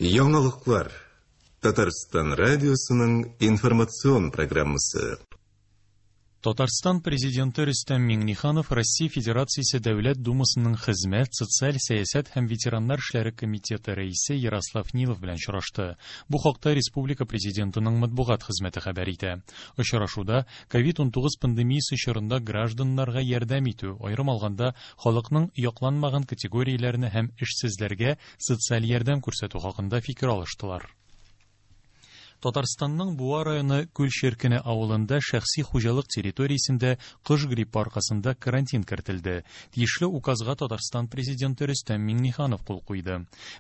Яңалыклар. Татарстан радиосының информацион программасы. Татарстан Президенты Рөстәм Миңнеханов Россия Федерациясе Дәүләт Думасының Хезмәт, социаль сәясәт һәм ветераннар эшләре комитеты рәисе Ярослав Нилов белән очрашты. Бу хакта республика Президентының матбугат хезмәте хәбәр итә. Очрашуда COVID-19 пандемиясе чорында гражданнарга ярдәм итү, аерым алганда, халыкның якланмаган категорияләренә һәм эшсезләргә социаль ярдәм күрсәтү хакында фикер алыштылар. Татарстанның Буа районы Күл Черкене авылында шәхси хуҗалык территориясендә кош гриппы аркасында карантин кертелде. Тиешле указга Татарстан Президенты Рөстәм Миңнеханов кул куйды.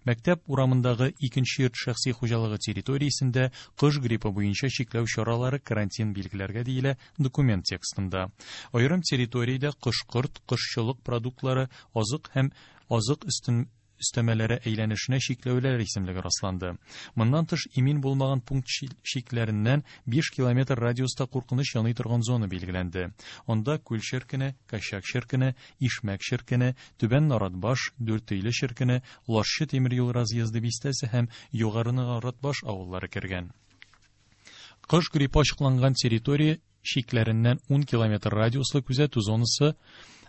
Мәктәп урамындагы икенче йорт шәхси хуҗалыгы территориясендә кош гриппы буенча чикләү чаралары карантин билгеләргә диелә документ текстында. Аерым территориядә кош-корт, кошчылык продуктлары, азык һәм азык өстен өстәмәләре әйләнешенә чикләүләр исемлеге расланды. Моннан тыш, имин булмаган пункт чикләреннән 5 километр радиуста куркыныч яный торган зона билгеләнде. Анда Күл Черкене, Кощак Черкене, Ишмәк Черкене, Түбән Наратбаш, Дүртөйле Черкене, Лашчы тимер юл разъезды бистәсе һәм Югары Наратбаш авыллары кергән. Кош гриппы ачыкланган территория чикләреннән 10 километр радиуслы күзәтү зонасы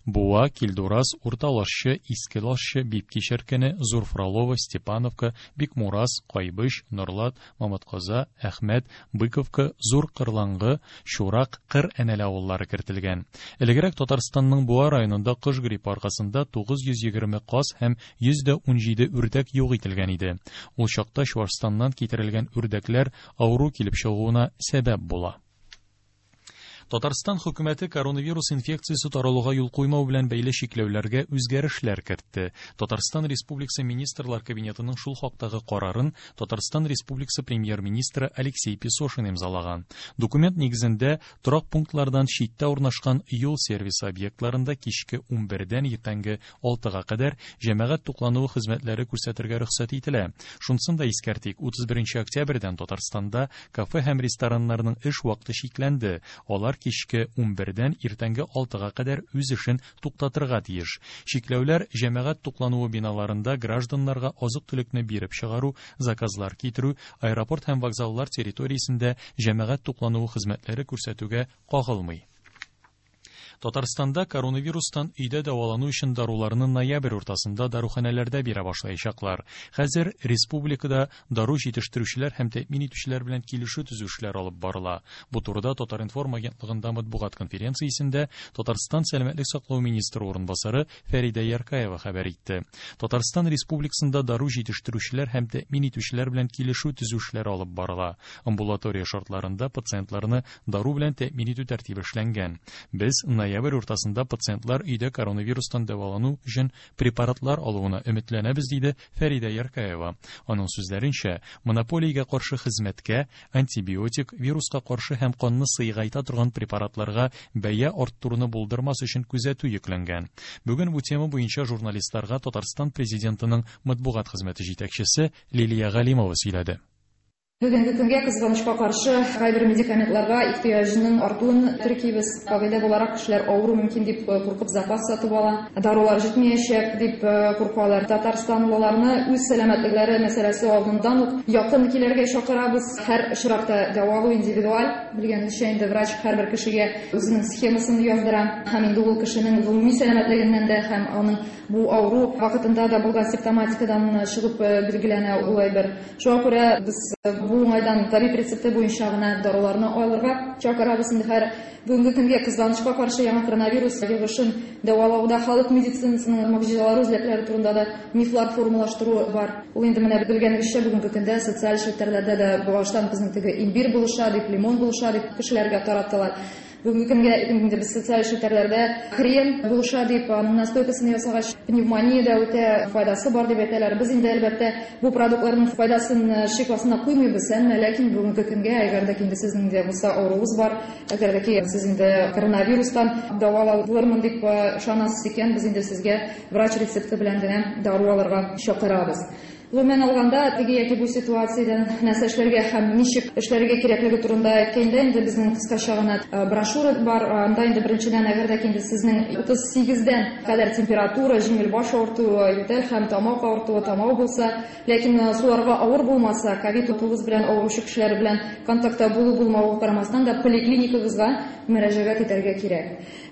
Буа, Килдураз, Урта Лашчы, Иске Лашчы, Бибки Черкене, Зур Фролово, Степановка, Бикмураз, Кайбыч, Норлат, Мамытказа, Әхмәт, Быковка, Зур Кырлаңгы, Чурак, Кыр Әнәле авыллары кертелгән. Элегрәк Татарстанның Буа районында кош гриппы аркасында 920 каз һәм 117 үрдәк юк ителгән иде. Ул чакта Чуашстаннан китерелгән үрдәкләр авыру килеп чыгуына сәбәп була. Татарстан хөкүмәте коронавирус инфекциясе таралуга юл куймау белән бәйле чикләүләргә үзгәрешләр кертте. Татарстан Республикасы Министрлар Кабинетының шул хактагы карарын Татарстан Республикасы Премьер-министры Алексей Песошин имзалаган. Документ нигезендә торак пунктлардан читтә урнашкан юл сервисы объектларында кичке 11-дән иртәнге 6-га кадәр җәмәгать туклануы хезмәтләре күрсәтергә рөхсәт ителә. Шунысын да искәртик, 31 октябрьдән Татарстанда кафе һәм рестораннарның эш вакыты чикләнде. Алар кичке 11-дән иртәнге 6-га кадәр үз эшен туктатырга тиеш. Чикләүләр җәмәгать туклануы биналарында гражданнарга азык-төлекне биреп чыгару, заказлар китерү, аэропорт һәм вокзаллар территориясендә җәмәгать туклануы хезмәтләре күрсәтүгә кагылмый. Татарстанда коронавирустан өйдә дәвалану өчен даруларны ноябрь уртасында даруханәләрдә бирә башлаячаклар. Хәзер республикада дару җитештерүчеләр һәм тәэмин итүчеләр белән килешү төзү эшләре алып барыла. Бу турыда Татар-информ агентлыгында матбугат конференциясендә Татарстан сәламәтлек саклау министры урынбасары Фәридә Яркаева хәбәр итте. Татарстан Республикасында дару җитештерүчеләр һәм тәэмин итүчеләр белән килешү төзү эшләре алып барыла. Амбулатория шартларында пациентларны дару белән тәэмин итү тәртибе эшләнгән. Без ноябрь уртасында пациентлар өйдә коронавирустан дәвалану өчен препаратлар алуына өметләнәбез, диде Фәридә Яркаева. Аның сүзләренчә, монополиягә каршы хезмәткә антибиотик, вируска каршы һәм канны сыегайта торган препаратларга бәя арттыруны булдырмас өчен күзәтү йөкләнгән. Бүген бу тема буенча журналистларга Татарстан Президентының матбугат хезмәте җитәкчесе Лилия Галимова сөйләде. Бүгенге көнгә, кызганычка каршы, кайбер медикаментларга ихтыяҗның артуын теркибез. Кагыйдә буларак, кешеләр авыру мөмкин дип куркып запас сатып ала. Дарулар җитмәячәк дип куркалар. Татарстанлыларны үз сәламәтлекләре мәсьәләсе алдыннан ук якын килергә чакырабыз. Һәр очракта дәвалау индивидуаль. Белгәнебезчә, инде врач һәрбер кешегә үзенең схемасын яздыра. Һәм инде ул кешенең гомуми сәламәтлегеннән дә һәм аның бу авыру вакытында да булган симптоматикадан чыгып билгеләнә ул әйбер. Шуңа күрә без бу уңайдан табиб рецепты буенча гына даруларны алырга чакырабыз. Инде һәр бүгенге көнгә, кызганычка каршы, яңа коронавирус йогышын дәвалауда халык медицинасының могҗизалары үзәкләре турында да мифлар формалаштыру бар. Ул инде менә белгәнегезчә, бүгенге көндә социаль челтәрләрдә дә баштан безнең теге имбирь булыша дип, лимон булыша дип кешеләргә тараттылар. Бүгенге көнгә инде без социаль челтәрләрдә хрен булыша дип, аның настойкасын ясагач, пневмония дә үтә файдасы бар дип әйтәләр. Без инде, әлбәттә, бу продуктларның файдасын шик астына куймыйбыз, әмма ләкин бүгенге көнгә, әгәр дә инде сезнең дә булса авыруыгыз бар, әгәр дә ки сез инде коронавирустан дәваланырмын дип ышанасыз икән, без инде сезгә врач рецепты белән генә дару алырга чакырабыз. Гомумән алганда, теге яки бу ситуациядән нәрсә эшләргә һәм ничек эшләргә кирәклеге турында әйткәндә, инде безнең кыскача гына брошюра бар. Анда инде беренчедән, әгәр дә инде сезнең 38-дән кадәр температура, җиңел баш авыртуы, ютәл һәм тамак авыртуы, тамау булса, ләкин суларга авыр булмаса, ковид-19 белән авыручы кешеләр белән контактта булу-булмауга карамастан да поликлиникагызга мөрәҗәгать итәргә кирәк.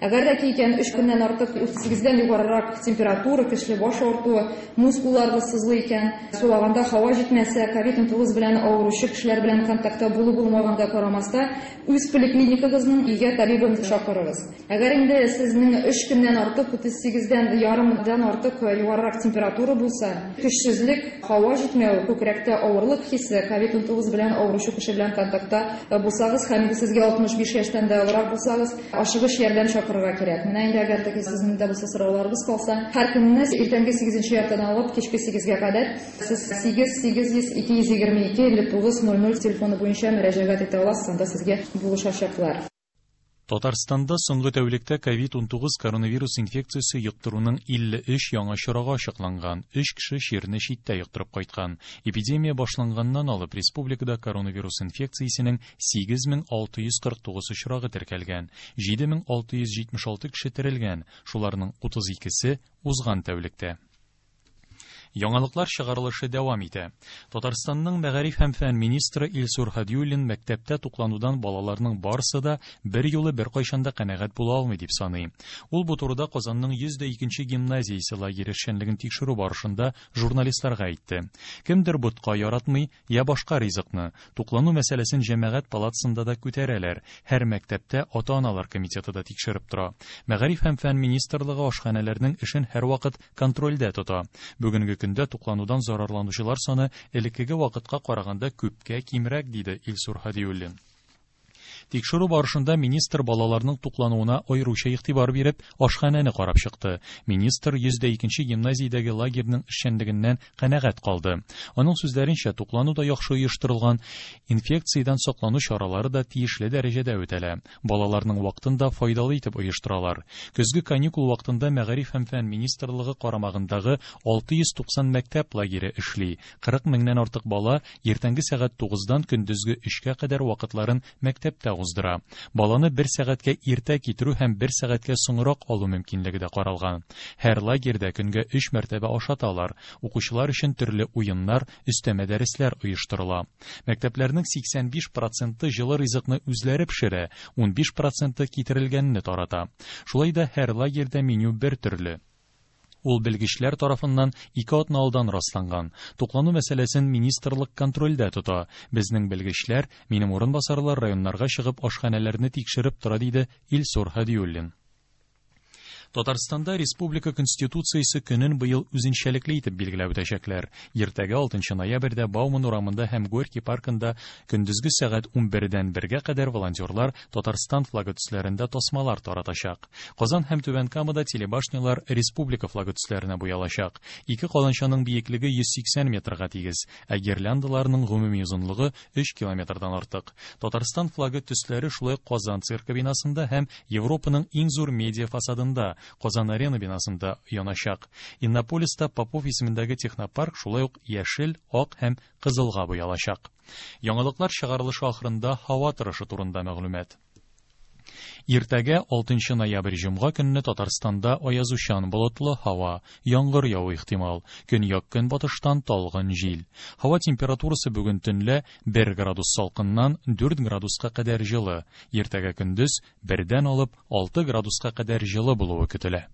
Әгәр дә ки икән 3 көннән артык 38-дән югарырак температура, көчле баш авыртуы, мускулларыгыз сызлый икән, сулаганда һава җитмәсә, ковид-19 белән авыручы кешеләр белән контактта булу-булмаганга карамастан, үз поликлиникагызның өйгә табибын чакырыгыз. Әгәр инде сезнең 3 көннән артык 38-дән ярымдан артык югарырак температура булса, көчсезлек, һава җитмәү, күкрәктә авырлык хисе, ковид-19 белән авыручы кеше белән контактта булсагыз һәм инде сезгә 65 яшьтән дә олырак булсагыз, ашыгыч ярдәм чакырырга кирәк. Менә инде әгәр дә сезнең дә булса сорауларыгыз калса, һәр көнне иртәнге 8:30 алып кичке 8-гә кадәр сез 8 800 222 59 00 телефоны буенча мөрәҗәгать итә аласыз, анда сезгә булышачаклар. Татарстанда соңгы тәүлектә ковид-19 коронавирус инфекциясе йоктыруның 53 яңа очрагы ачыкланган. 3 кеше чирне читтә йоктырып кайткан. Эпидемия башланганнан алып республикада коронавирус инфекциясенең 8649 очрагы теркәлгән. 7676 кеше терелгән, шуларның 32-се узган тәүлектә. Яңалыклар чыгарылышы дәвам итә. Татарстанның мәгариф һәм фән министры Илсур Һадиуллин мәктәптә тукланудан балаларның барысы да бер юлы бер кайчан да канәгать була алмый дип саный. Ул бу турыда Казанның 102нче гимназиясе лагере эшчәнлеген тикшерү барышында журналистларга әйтте. Кемдер ботка яратмый, я башка ризыкны. Туклану мәсьәләсен җәмәгать палатасында да күтәрәләр. Һәр мәктәптә ата-аналар комитеты да тикшереп тора. Мәгариф һәм фән министрлыгы ашханәләрнең эшен һәрвакыт контрольдә тота. Бүгенге көндә тукланудан зарарланучылар саны элеккеге вакытка караганда күпкә кимрәк, диде Илсур Һадиуллин. Тикшерү барышында министр балаларның туклануына аеруча игътибар биреп, ашханәне карап чыкты. Министр 102нче гимназиядәге лагерьның эшчәнлегеннән канәгать калды. Аның сүзләренчә, туклану да яхшы оештырылган, инфекциядән саклану чаралары да тиешле дәрәҗәдә үтәлә. Балаларның вакытын да файдалы итеп оештыралар. Көзге каникул вакытында Мәгариф һәм фән министрлыгы карамагындагы 690 мәктәп лагере эшли. 40 меңнән артык бала иртәнге сәгать 9-дан көндезге 3-кә кадәр вакытларын мәктәптә уздыра. Баланы бер сәгатькә иртә китерү һәм бер сәгатькә соңрак алу мөмкинлеге дә каралган. Һәр лагерьдә көнгә 3 мәртәбә ашаталар. Укучылар өчен төрле уеннар, өстәмә дәресләр оештырыла. Мәктәпләрнең 85% җылы ризыкны үзләре пешерә, 15% китерелгәнне тарата. Шулай да һәр лагерьдә меню бер төрле. Ул белгечләр тарафыннан 2 атна алдан расланган. Туклану мәсьәләсен министрлык контрольдә тота. Безнең белгечләр, минем урынбасарлар районнарга чыгып ашханәләрне тикшереп тора, диде Илсур Һадиуллин. Татарстанда Республика Конституциясе көнен быел үзенчәлекле итеп билгеләп үтәчәкләр. Иртәгә 6 ноябрьдә Бауман урамында һәм Горький паркында көндезге сәгать 11-дән 1-гә кадәр волонтерлар Татарстан флагы төсләрендә тасмалар таратачак. Казан һәм Түбән Камада телебашнялар республика флагы төсләренә буялачак. Ике каланчаның биеклеге 180 метрга тигез, ә гирляндаларның гомуми озынлыгы 3 километрдан артык. Татарстан флагы төсләре шулай Казан циркы бинасында һәм Европаның иң зур медиа фасадында Казан Арена бинасында яначак. Иннополиста Попов исемендәге технопарк шулай ук яшел, ак һәм кызылга буялачак. Яңалыклар чыгарылышы ахырында һава торышы турында мәгълүмат. Иртәгә 6 ноябрь җомга көнне Татарстанда аязучан болытлы һава, яңгыр яву ихтимал. Көньяк көнбатыштан талгын җил. Һава температурасы бүген төнлә 1 градус салкыннан 4 градуска кадәр җылы. Иртәгә көндез 1-дән алып 6 градуска кадәр җылы булуы көтелә.